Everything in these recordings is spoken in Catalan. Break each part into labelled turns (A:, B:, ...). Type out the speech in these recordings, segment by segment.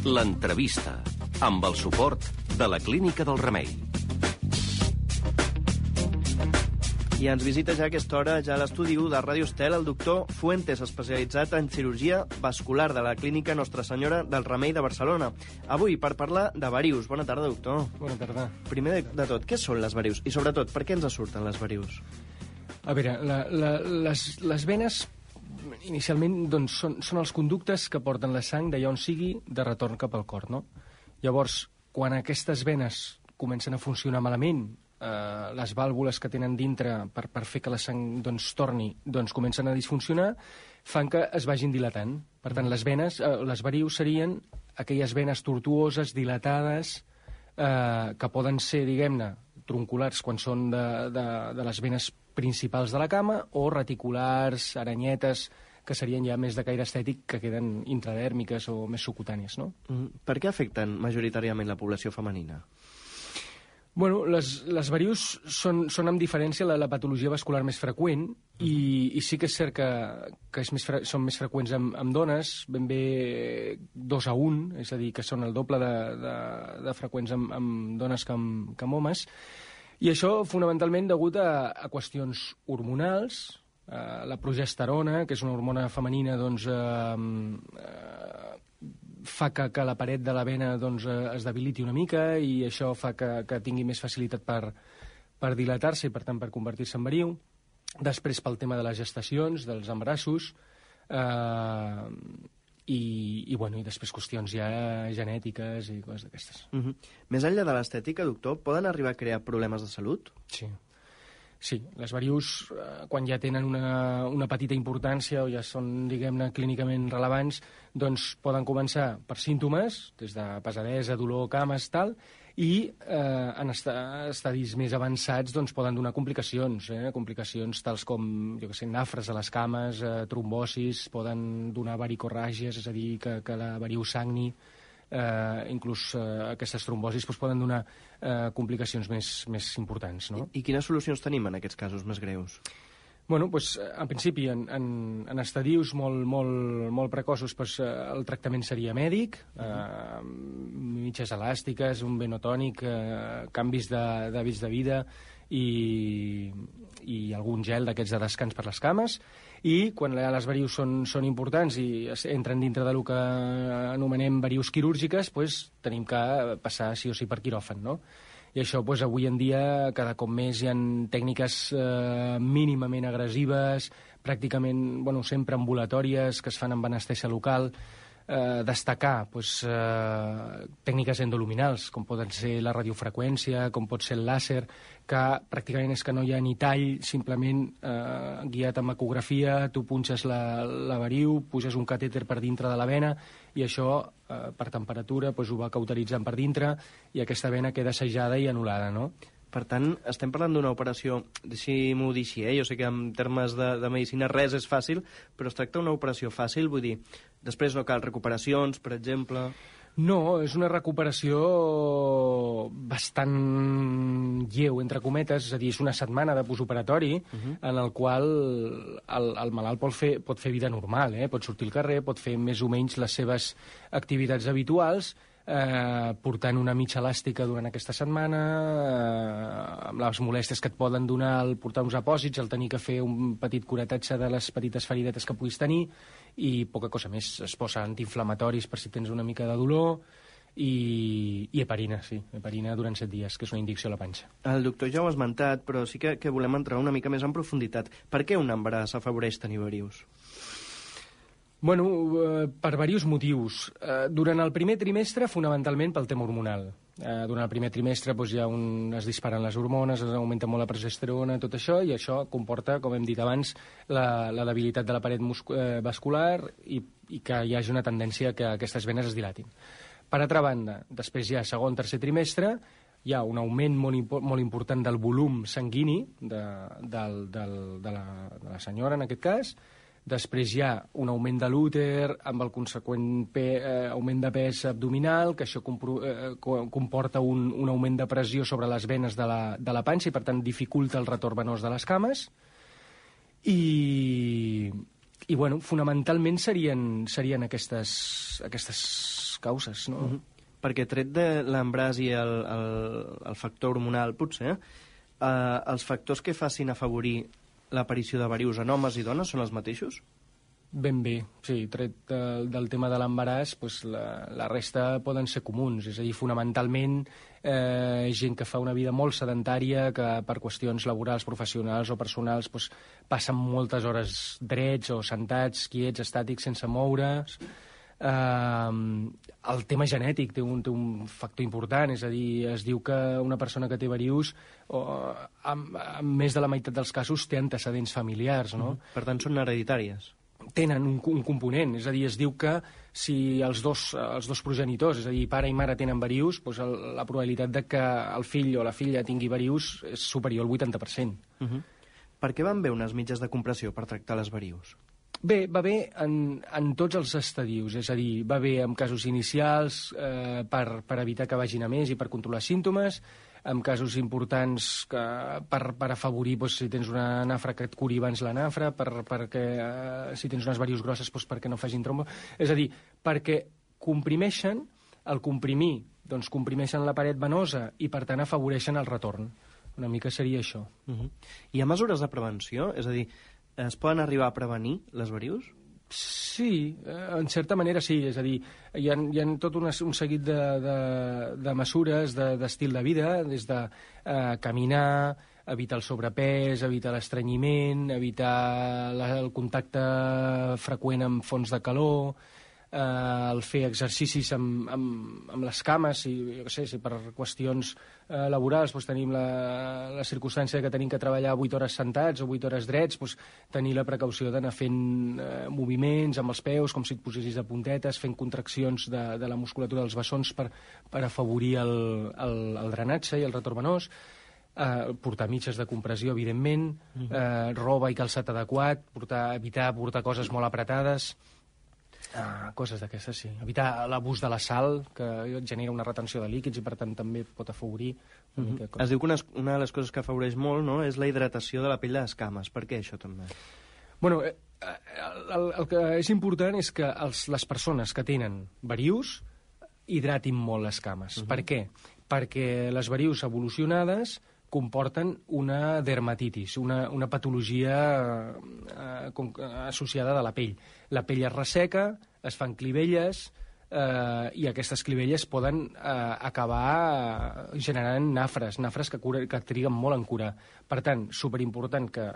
A: L'entrevista, amb el suport de la Clínica del Remei.
B: I ens visita ja a aquesta hora, ja a l'estudi 1 de Ràdio Estel, el doctor Fuentes, especialitzat en cirurgia vascular de la Clínica Nostra Senyora del Remei de Barcelona. Avui, per parlar de varius. Bona tarda, doctor.
C: Bona tarda.
B: Primer de tot, què són les varius? I sobretot, per què ens surten les varius?
C: A veure, les venes inicialment doncs, són els conductes que porten la sang d'allà on sigui de retorn cap al cor, no? Llavors, quan aquestes venes comencen a funcionar malament, les vàlvules que tenen dintre per fer que la sang doncs, torni, doncs comencen a disfuncionar, fan que es vagin dilatant. Per tant, les varius serien aquelles venes tortuoses, dilatades, que poden ser, diguem-ne, tronculars quan són de les venes principals de la cama, o reticulars, aranyetes, que serien ja més de caire estètic, que queden intradèrmiques o més subcutànies, no?
B: Per què afecten majoritàriament la població femenina?
C: Bueno, les varius són amb diferència la patologia vascular més freqüent i sí que és cert que són més freqüents amb dones, ben bé 2 a 1, és a dir, que són el doble de freqüents amb dones que amb homes, i això fonamentalment degut a qüestions hormonals. La progesterona, que és una hormona femenina, doncs, fa que la paret de la vena doncs, es debiliti una mica i això fa que tingui més facilitat per dilatar-se i, per tant, per convertir-se en variu. Després, pel tema de les gestacions, dels embarassos, i després qüestions ja genètiques i coses d'aquestes.
B: Més enllà de l'estètica, doctor, poden arribar a crear problemes de salut?
C: Sí, les varius, quan ja tenen una petita importància o ja són, diguem-ne, clínicament rellevants, doncs poden començar per símptomes, des de pesadesa, dolor, cames, tal, i en estadis més avançats doncs poden donar complicacions, complicacions tals com, jo què sé, nafres a les cames, trombosis, poden donar varicorràgies, és a dir, que la variu sagni. Inclús aquestes trombosis poden donar complicacions més importants, no?
B: I quines solucions tenim en aquests casos més greus?
C: Bueno, en principi, en estadius molt precoços, el tractament seria mèdic, mitges elàstiques, un venotònic, canvis d'hàbits de vida i algun gel d'aquests de descans per les cames, i quan les varius són importants i entren dintre del que anomenem varius quirúrgiques, tenim que passar sí o sí per quiròfan, no? I això, avui en dia, cada cop més hi ha tècniques mínimament agressives, pràcticament, sempre ambulatòries, que es fan amb anestèsia local. Destacar tècniques endoluminals, com poden ser la radiofreqüència, com pot ser el làser, que pràcticament és que no hi ha ni tall, simplement guiat amb ecografia, tu punxes la variu, puges un catèter per dintre de la vena, i això, per temperatura, ho va cauteritzant per dintre, i aquesta vena queda assajada i anul·lada, no?
B: Per tant, estem parlant d'una operació, deixi-m'ho dir així, jo sé que en termes de medicina res és fàcil, però es tracta d'una operació fàcil, vull dir, després no cal recuperacions, per exemple...
C: No, és una recuperació bastant lleu, entre cometes, és a dir, és una setmana de postoperatori en el qual el malalt pot fer vida normal, pot sortir al carrer, pot fer més o menys les seves activitats habituals, portant una mitja elàstica durant aquesta setmana, amb les molèsties que et poden donar el portar uns apòsits, el tenir que fer un petit curetatge de les petites feridetes que puguis tenir, i poca cosa més. Es posa antiinflamatoris per si tens una mica de dolor, i heparina, heparina durant 7 dies, que és una injecció a la panxa.
B: El doctor ja ho ha esmentat, però sí que volem entrar una mica més en profunditat. Per què un embaràs afavoreix tenir varius?
C: Bueno, per diversos motius. Durant el primer trimestre, fonamentalment pel tema hormonal. Durant el primer trimestre es disparen les hormones, es augmenta molt la progesterona, tot això, i això comporta, com hem dit abans, la debilitat de la paret vascular i que hi hagi una tendència que aquestes venes es dilatin. Per altra banda, després ja segon, tercer trimestre, hi ha un augment molt important del volum sanguini de la senyora, en aquest cas. Després hi ha un augment de l'úter amb el conseqüent augment de pes abdominal, que això comporta un augment de pressió sobre les venes de la panxa i, per tant, dificulta el retorn venós de les cames. I fonamentalment serien aquestes causes, no?
B: Perquè tret de l'embràs i el factor hormonal, potser, els factors que facin afavorir l'aparició de varius en homes i dones són els mateixos?
C: Ben bé, sí, tret del tema de l'embaràs, doncs la resta poden ser comuns, és a dir, fonamentalment gent que fa una vida molt sedentària, que per qüestions laborals, professionals o personals doncs, passen moltes hores drets o sentats, quiets, estàtics, sense moure's. El tema genètic té un factor important, és a dir, es diu que una persona que té varius en més de la meitat dels casos té antecedents familiars, no?
B: Per tant, són hereditàries.
C: Tenen un component, és a dir, es diu que si els dos progenitors, és a dir, pare i mare tenen varius, doncs la probabilitat de que el fill o la filla tingui varius és superior al 80%.
B: Per què van bé unes mitges de compressió per tractar les varius?
C: Bé, va bé en tots els estadius, és a dir, va bé en casos inicials per evitar que vagin a més i per controlar símptomes, en casos importants per afavorir si tens una nafra que et curi abans la nafra, perquè si tens unes varius grosses perquè no facin trombo. És a dir, perquè comprimeixen, al comprimir, doncs comprimeixen la paret venosa i per tant afavoreixen el retorn. Una mica seria això.
B: Hi ha mesures de prevenció? És a dir, es poden arribar a prevenir les varius?
C: Sí, en certa manera sí, és a dir, hi ha tot un seguit de mesures d'estil de vida, des de caminar, evitar el sobrepès, evitar l'estrenyiment, evitar el contacte freqüent amb fonts de calor, el fer exercicis amb les cames, si per qüestions laborals tenim la circumstància que tenim que treballar 8 hores sentats o 8 hores drets, tenir la precaució d'anar fent moviments amb els peus, com si et posessis de puntetes, fent contraccions de la musculatura dels bessons per afavorir el drenatge i el retorn venós, portar mitges de compressió, evidentment, roba i calçat adequat, evitar portar coses molt apretades, coses d'aquestes, sí. Evitar l'abús de la sal, que genera una retenció de líquids i per tant també pot afavorir una mica.
B: Es diu que una de les coses que afavoreix molt, no?, és la hidratació de la pell de les cames. Per què això també?
C: Bueno, el que és important és que les persones que tenen varius hidratin molt les cames. Per què? Perquè les varius evolucionades comporten una dermatitis, una patologia associada de la pell. La pell es resseca, es fan clivelles, i aquestes clivelles poden acabar generant nafres que triguen molt en curar. Per tant, superimportant que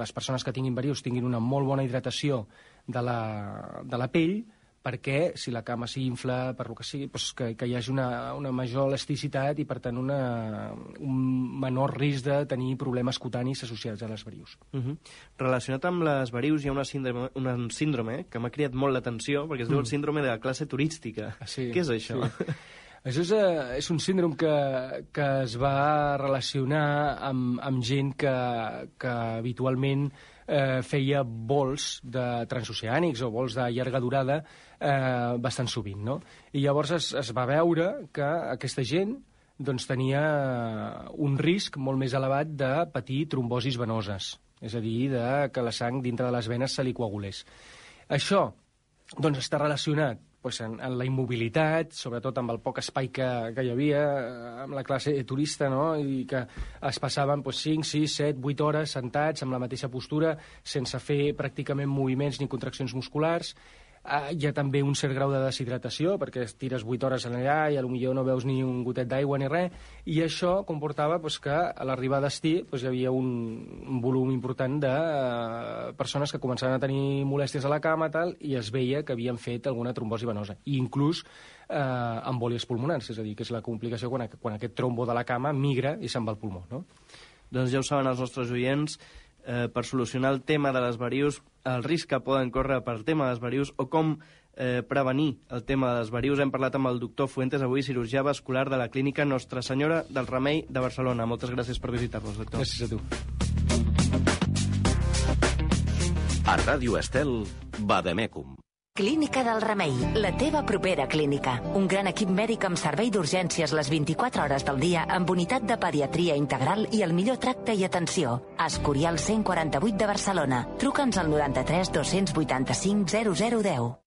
C: les persones que tinguin varius tinguin una molt bona hidratació de la pell, perquè si la cama s'infla, per lo que sigui, que hi hagi una major elasticitat i, per tant, un menor risc de tenir problemes cutanis associats a les varius.
B: Relacionat amb les varius hi ha un síndrome que m'ha cridat molt l'atenció, perquè es diu el síndrome de la classe turística.
C: Sí,
B: què és això?
C: Sí. Això és un síndrome que es va relacionar amb gent que habitualment feia vols transoceànics o vols de llarga durada bastant sovint, no? I llavors es va veure que aquesta gent tenia un risc molt més elevat de patir trombosis venoses, és a dir, que la sang dintre de les venes se li coagulés. Això està relacionat en la immobilitat, sobretot amb el poc espai que hi havia, amb la classe turista, no?, i que es passaven 5, 6, 7, 8 hores sentats amb la mateixa postura, sense fer pràcticament moviments ni contraccions musculars. Hi ha també un cert grau de deshidratació, perquè tires 8 hores allà i potser no veus ni un gotet d'aigua ni res, i això comportava que a l'arribar a destí hi havia un volum important de persones que començaven a tenir molèsties a la cama i es veia que havien fet alguna trombosi venosa, i inclús embòlies pulmonars, és a dir, que és la complicació quan aquest trombo de la cama migra i se'n va al pulmó, no?
B: Doncs ja ho saben els nostres oients, per solucionar el tema de les varius, el risc que poden córrer per tema de les varius o com prevenir el tema de les varius. Hem parlat amb el doctor Fuentes, avui cirurgià vascular de la clínica Nostra Senyora del Remei de Barcelona. Moltes gràcies per visitar-nos, doctor.
C: Gràcies a tu.
A: A Ràdio Estel, Vademecum.
D: Clínica del Remei, la teva propera clínica. Un gran equip mèdic amb servei d'urgències les 24 hores del dia, amb unitat de pediatria integral i el millor tracte i atenció. Escorial 148 de Barcelona. Truca'ns al 93 285 0010.